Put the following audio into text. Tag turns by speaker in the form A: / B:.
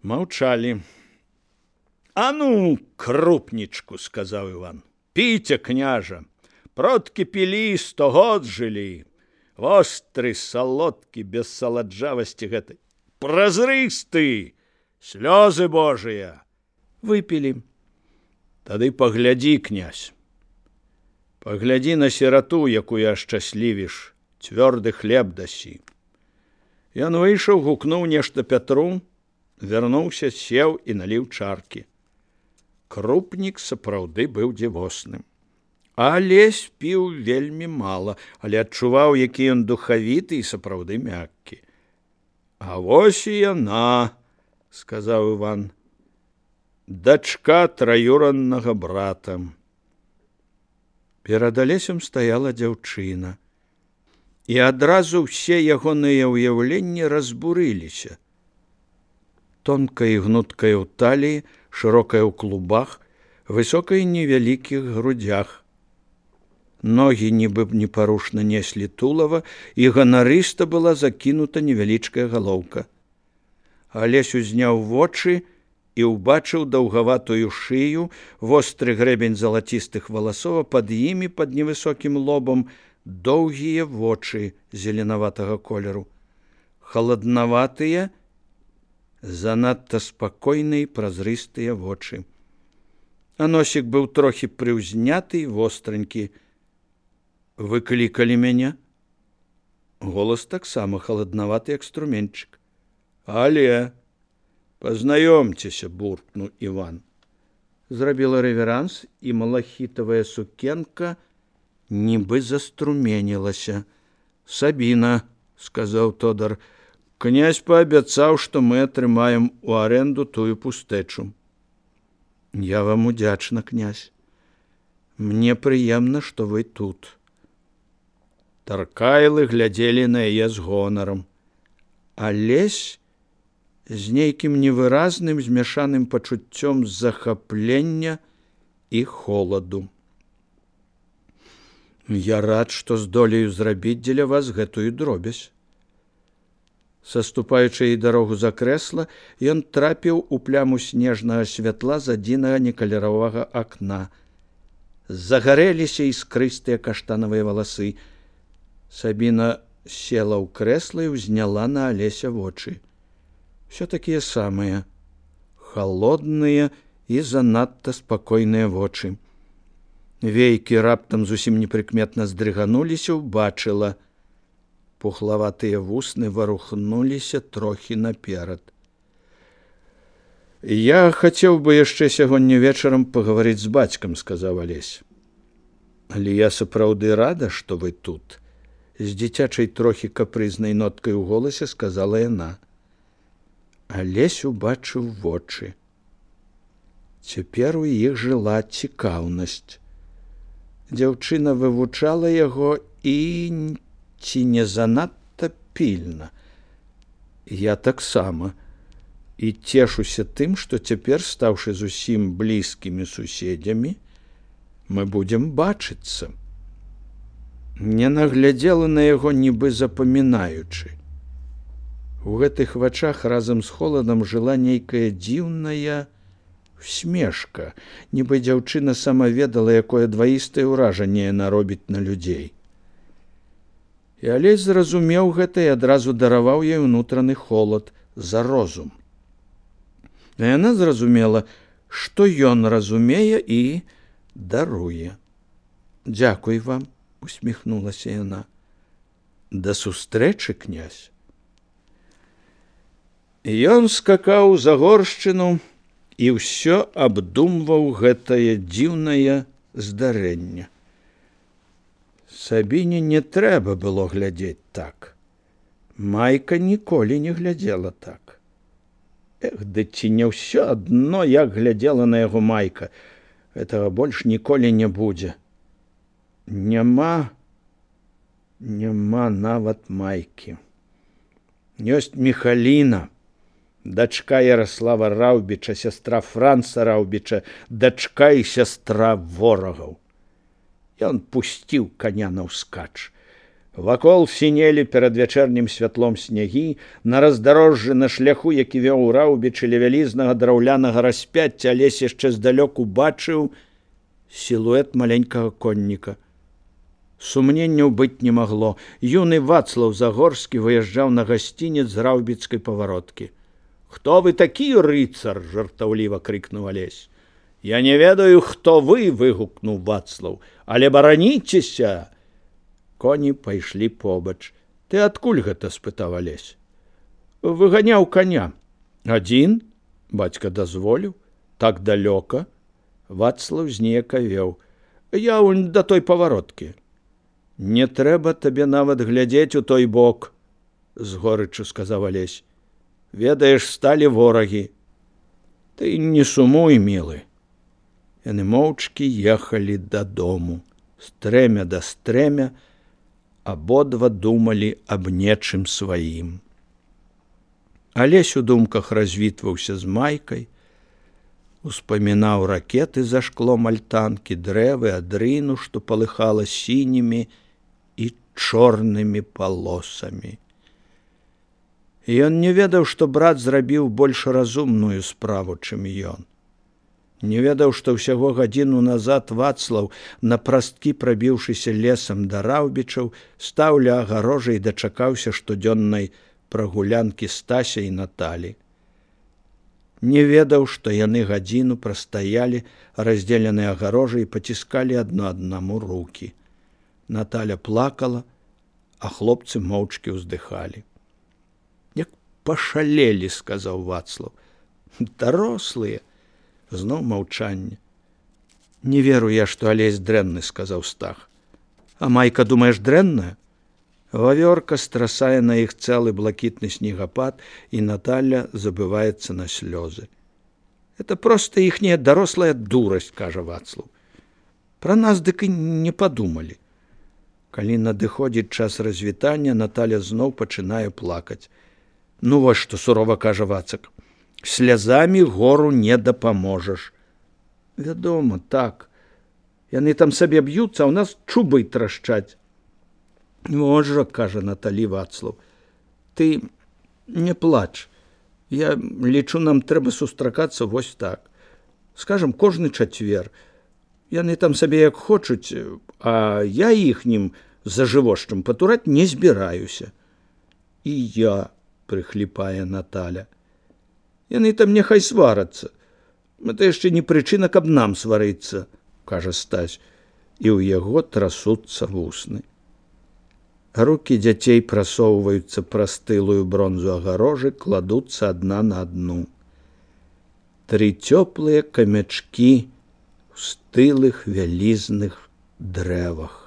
A: Маўчалі. «А ну, крупнічку», — сказаў Іван, — «піце, княжа, продкі пілі, 100 год жылі. Востры, салодкі, без саладжавасці гэтай, празрысты, слёзы божыя». Выпілі. «Тады паглядзі, князь, паглядзі на сірату, якую ашчаслівіш, цвёрды хлеб дасі». Ён выйшаў, гукнуў нешта Пятру, вярнуўся, сеў і наліў чаркі. Крупнік сапраўды быў дзівосным. Алесь піў вельмі мала, але адчуваў, які ён духавіты і сапраўды мяккі. «А вось і яна», — сказаў Іван, — «дачка траюраннага брата». Перад Алесем стаяла дзяўчына, і адразу ўсе ягоныя ўяўленні разбурыліся. Тонкая і гнуткая ў таліі, шырокая ў клубах, высокая і невялікіх грудях. Ногі нібы непарушна неслі тулава, і ганарыста была закінута невялічкая галоўка. Алесь узняў вочы і ўбачыў даўгаватую шыю, востры грэбень залацістых валасоў, а пад імі, пад невысокім лобам, доўгія вочы зеленаватага колеру. Халаднаватыя, занадта спакойныя і празрыстыя вочы. А носік быў трохі прыўзняты і востранькі. «Вы клікалі мяне?» Голас таксама халаднаваты, як струменчык. «Але, пазнаёмцеся», — буркнуў Іван. Зрабіла рэверанс, і малахітавая сукенка нібы заструменілася. «Сабіна», — сказаў Тодар, — «князь паабяцаў, што мы атрымаем у арэнду тую пустэчу». «Я вам удзячна, князь. Мне прыемна, што вы тут». Таркайлы глядзелі на яе з гонарам. Алесь з нейкім невыразным змяшаным пачуццём захаплення і холаду. «Я рад, што здолею зрабіць дзеля вас гэтую дробязь». Саступаючы ей дарогу за крэсла, ён трапіў у пляму снежнага святла з адзінага некаляровага акна. Загарэліся іскрыстыя каштанавыя валасы. Сабіна села ў крэсла і ўзняла на Алеся вочы. Всё такія самыя, халодныя і занадта спакойныя вочы. Вейкі раптам зусім непрыкметна здрыгануліся, убачыла. Пухлаватыя вусны варухнуліся трохі наперад. «Я хацеў бы яшчэ сягоння вечарам пагаварыць з бацькам», — сказаў Алесь. «Але я сапраўды рада, што вы тут», — з дзіцячай трохі капрызнай ноткай у голасе сказала яна. Алесь убачыў вочы. Цяпер у іх жыла цікаўнасць. Дзяўчына вывучала яго і ці не занадта пільна. «Я таксама. І цешуся тым, што цяпер, стаўшы зусім блізкімі суседзямі, мы будзем бачыцца». Не наглядзела на яго, нібы запамінаючы. У гэтых вачах разам з холадам жыла нейкая дзіўная усмешка, нібы дзяўчына сама ведала, якое дваістае ўражанне яна робіць на людзей. І Алесь зразумеў гэта і адразу дараваў ёй унутраны холад за розум. А яна зразумела, што ён разумее і даруе. «Дзякуй вам», — усміхнулася яна. «Да сустрэчы, князь». Ён скакаў за горшчыну і ўсё абдумваў гэтае дзіўнае здарэнне. Сабіне не трэба было глядзець так. Майка ніколі не глядзела так. Ды ці не ўсё адно, як глядзела на яго Майка. Гэтага больш ніколі не будзе. Няма нават Майкі. Ёсць Міхаліна, дачка Ярослава Раўбіча, сястра Франца Раўбіча, дачка і сястра ворагаў. Ён пусціў каня наўскач. Вакол сінелі перад вячэрнім святлом снягі, на раздарожжы на шляху, які вёў у раўбічы ля вялізнага драўлянага распяцця, Алесь яшчэ здалёк убачыў сілуэт маленькага конніка. Сумненняў быць не магло. Юны Вацлаў Загорскі выязджаў на гасцінец з раўбіцкай павароткі. «Хто вы такі, рыцар?» – жартаўліва крыкнуў Алесь. «Я не ведаю, хто вы!» – выгукнуў Вацлаў. «Але бараніцеся!» Коні пайшлі побач. «Ты адкуль гэта?» – спытаў Алесь. «Выганяў коня». «Адзін?» – бацька дазволіў. «Так далёка?» Вацлаў зніякавеў. «Я вунь да той павароткі». «Не трэба табе нават глядзець у той бок», – з горычу сказаў Алесь. «Ведаеш, сталі ворагі». «Ты не сумуй, мілы». Яны моўчкі ехалі дадому. Стрэмя да стрэмя, абодва думалі аб нечым сваім. Алесь у думках развітваўся з Майкай, успамінаў ракеты за шклом альтанкі, дрэвы, адрыну, што палыхала сінімі і чорнымі палосамі. Ён не ведаў, што брат зрабіў больш разумную справу, чым ён. Не ведаў, што ўсяго гадзіну назад Вацлаў, на прасткі прабіўшыся лесам да раўбічаў, стаў ля агарожы і дачакаўся штодзённай прагулянкі Стася і Наталі. Не ведаў, што яны гадзіну прастаялі, раздзеленыя агарожай, і паціскалі адно аднаму рукі. Наталя плакала, а хлопцы моўчкі ўздыхалі. «Як пашалелі!» – сказаў Вацлаў. «Дарослыя!» Зноў маўчанне. «Не веру я, што Алесь дрэнны», – сказаў Стах. «А Майка, думаеш, дрэнная?» Вавёрка страсае на іх цэлы блакітны снегапад, і Наталя забываецца на слёзы. «Это проста іхняя дарослая дурасць», – кажа Вацлаў. «Пра нас дык і не падумалі». Калі надыходзіць час развітання, Наталя зноў пачынае плакаць. «Ну вось што», – сурова кажа Вацак. «Слязамі гору не дапаможаш». «Вядома, так. Яны там сабе б'юцца, а ў нас чубы трашчаць». «Можа», – кажа Наталі Вацлаў. «Ты не плач. Я лічу, нам трэба сустракацца вось так. Скажам, кожны чацвер. Яны там сабе як хочуць, а я іхнім зажывошчым патураць не збіраюся». «І я», – прыхліпае Наталя. «Яны там няхай сварацца. Гэта яшчэ не прычына, каб нам сварыцца», – кажа Стась, і ў яго трасуцца вусны. Рукі дзяцей прасоўваюцца праз тылую бронзу агарожы, кладуцца адна на адну. 3 цёплыя камячкі ў стылых вялізных дрэвах.